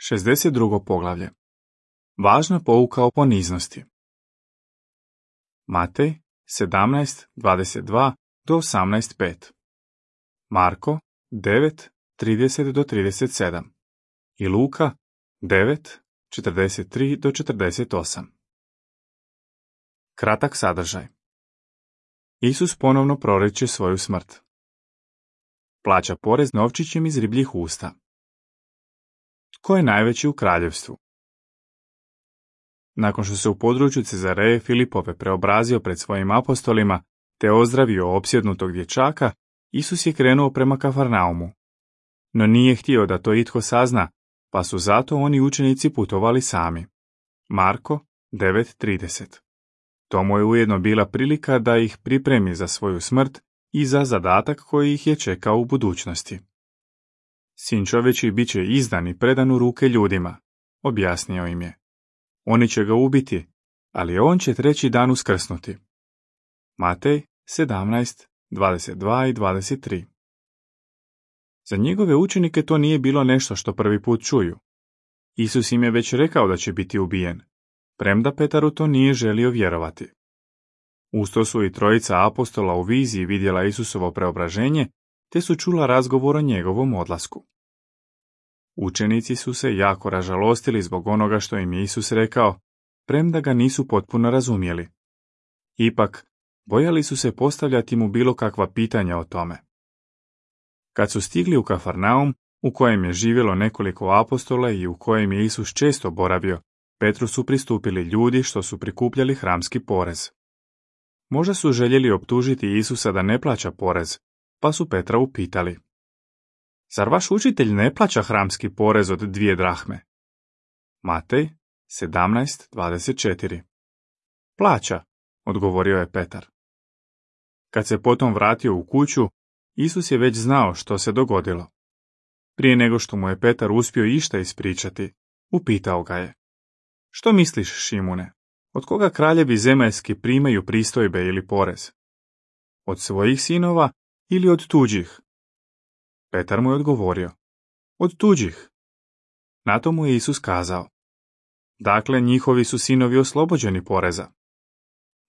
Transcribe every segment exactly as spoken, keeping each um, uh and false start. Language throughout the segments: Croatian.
šezdeset drugo poglavlje. Važna pouka o poniznosti. Matej sedamnaest dvadeset dva do osamnaest pet. Marko devet trideset do trideset sedam. I Luka devet četrdeset tri do četrdeset osam. Kratak sadržaj. Isus ponovno proriče svoju smrt. Plaća porez novčićem iz ribljih usta. Tko je najveći u kraljevstvu? Nakon što se u području Cezareje Filipove preobrazio pred svojim apostolima te ozdravio opsjednutog dječaka, Isus je krenuo prema Kafarnaumu. No nije htio da to itko sazna, pa su zato oni učenici putovali sami. Marko devet trideset. To mu je ujedno bila prilika da ih pripremi za svoju smrt i za zadatak koji ih je čekao u budućnosti. Sin čovječji bit će izdan i predan u ruke ljudima, objasnio im je. Oni će ga ubiti, ali on će treći dan uskrsnuti. Matej sedamnaest dvadeset dva i dvadeset tri. Za njegove učenike to nije bilo nešto što prvi put čuju. Isus im je već rekao da će biti ubijen, premda Petar u to nije želio vjerovati. Usto su i trojica apostola u viziji vidjela Isusovo preobraženje, te su čula razgovor o njegovom odlasku. Učenici su se jako ražalostili zbog onoga što im je Isus rekao, premda ga nisu potpuno razumjeli. Ipak, bojali su se postavljati mu bilo kakva pitanja o tome. Kad su stigli u Kafarnaum, u kojem je živjelo nekoliko apostola i u kojem je Isus često boravio, Petru su pristupili ljudi što su prikupljali hramski porez. Možda su željeli optužiti Isusa da ne plaća porez, pa su Petra upitali: Zar vaš učitelj ne plaća hramski porez od dvije drahme? Matej sedamnaest dvadeset četiri. Plaća, odgovorio je Petar. Kad se potom vratio u kuću, Isus je već znao što se dogodilo. Prije nego što mu je Petar uspio išta ispričati, upitao ga je: Što misliš, Šimune, od koga kraljevi zemaljski primaju pristojbe ili porez? Od svojih sinova ili od tuđih? Petar mu je odgovorio: Od tuđih. Na to mu je Isus kazao: Dakle, njihovi su sinovi oslobođeni poreza.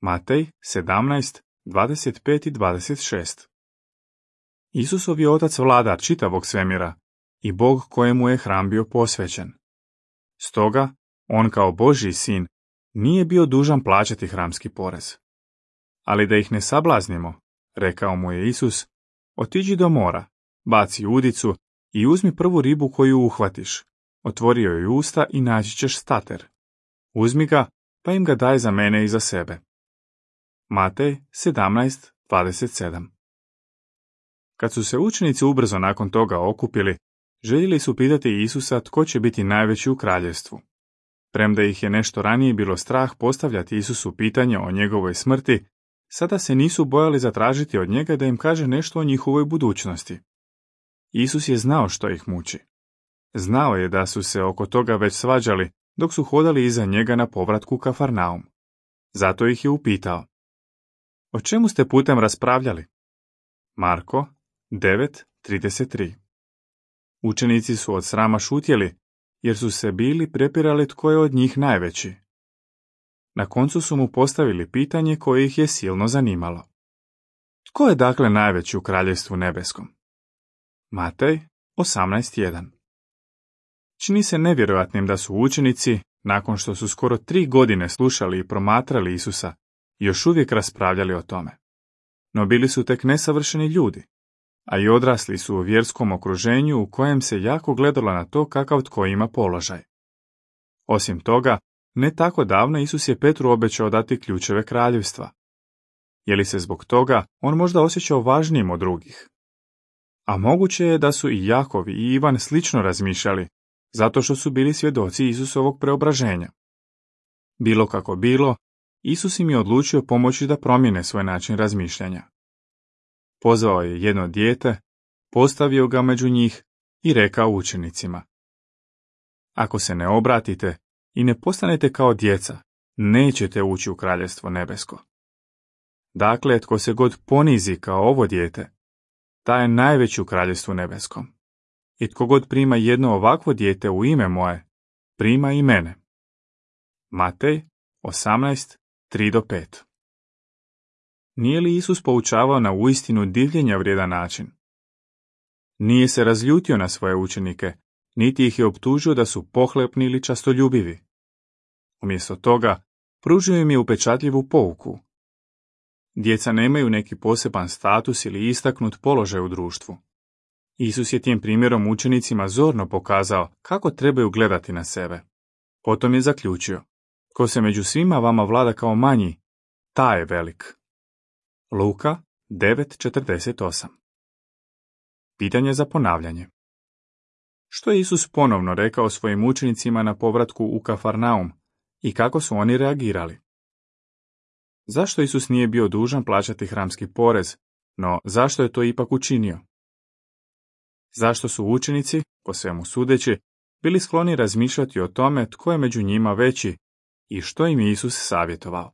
Matej sedamnaest dvadeset pet i dvadeset šest. Isusov je otac vladar čitavog svemira i Bog kojemu je hram bio posvećen. Stoga, on kao Božji sin nije bio dužan plaćati hramski porez. Ali da ih ne sablaznimo, rekao mu je Isus, otiđi do mora, baci udicu i uzmi prvu ribu koju uhvatiš. Otvorio joj usta i naći ćeš stater. Uzmi ga, pa im ga daj za mene i za sebe. Matej sedamnaest dvadeset sedam. Kad su se učenici ubrzo nakon toga okupili, željeli su pitati Isusa tko će biti najveći u kraljevstvu. Premda ih je nešto ranije bilo strah postavljati Isusu pitanje o njegovoj smrti, sada se nisu bojali zatražiti od njega da im kaže nešto o njihovoj budućnosti. Isus je znao što ih muči. Znao je da su se oko toga već svađali dok su hodali iza njega na povratku u Kafarnaum. Zato ih je upitao: O čemu ste putem raspravljali? Marko devet trideset tri. Učenici su od srama šutjeli, jer su se bili prepirali tko je od njih najveći. Na koncu su mu postavili pitanje koje ih je silno zanimalo. Tko je dakle najveći u kraljevstvu nebeskom? Matej osamnaest jedan. Čini se nevjerojatnim da su učenici, nakon što su skoro tri godine slušali i promatrali Isusa, još uvijek raspravljali o tome. No bili su tek nesavršeni ljudi, a i odrasli su u vjerskom okruženju u kojem se jako gledalo na to kakav tko ima položaj. Osim toga, ne tako davno Isus je Petru obećao dati ključeve kraljevstva. Je li se zbog toga on možda osjećao važnijim od drugih? A moguće je da su i Jakov i Ivan slično razmišljali, zato što su bili svjedoci Isusovog preobraženja. Bilo kako bilo, Isus im je odlučio pomoći da promijene svoj način razmišljanja. Pozvao je jedno dijete, postavio ga među njih i rekao učenicima: Ako se ne obratite i ne postanete kao djeca, nećete ući u kraljevstvo nebesko. Dakle, tko se god ponizi kao ovo dijete, taj je najveći u kraljevstvu nebeskom. I tko god prima jedno ovakvo dijete u ime moje, prima i mene. Matej osamnaest, tri do pet. Nije li Isus poučavao na uistinu divljenja vrijedan način? Nije se razljutio na svoje učenike, niti ih je optužio da su pohlepni ili častoljubivi. Umjesto toga, pružio im je upečatljivu pouku. Djeca nemaju neki poseban status ili istaknut položaj u društvu. Isus je tim primjerom učenicima zorno pokazao kako trebaju gledati na sebe. Potom je zaključio: ko se među svima vama vlada kao manji, taj je velik. Luka devet četrdeset osam. Pitanje za ponavljanje. Što je Isus ponovno rekao svojim učenicima na povratku u Kafarnaum i kako su oni reagirali? Zašto Isus nije bio dužan plaćati hramski porez, no zašto je to ipak učinio? Zašto su učenici, po svemu sudeći, bili skloni razmišljati o tome tko je među njima veći i što im je Isus savjetovao?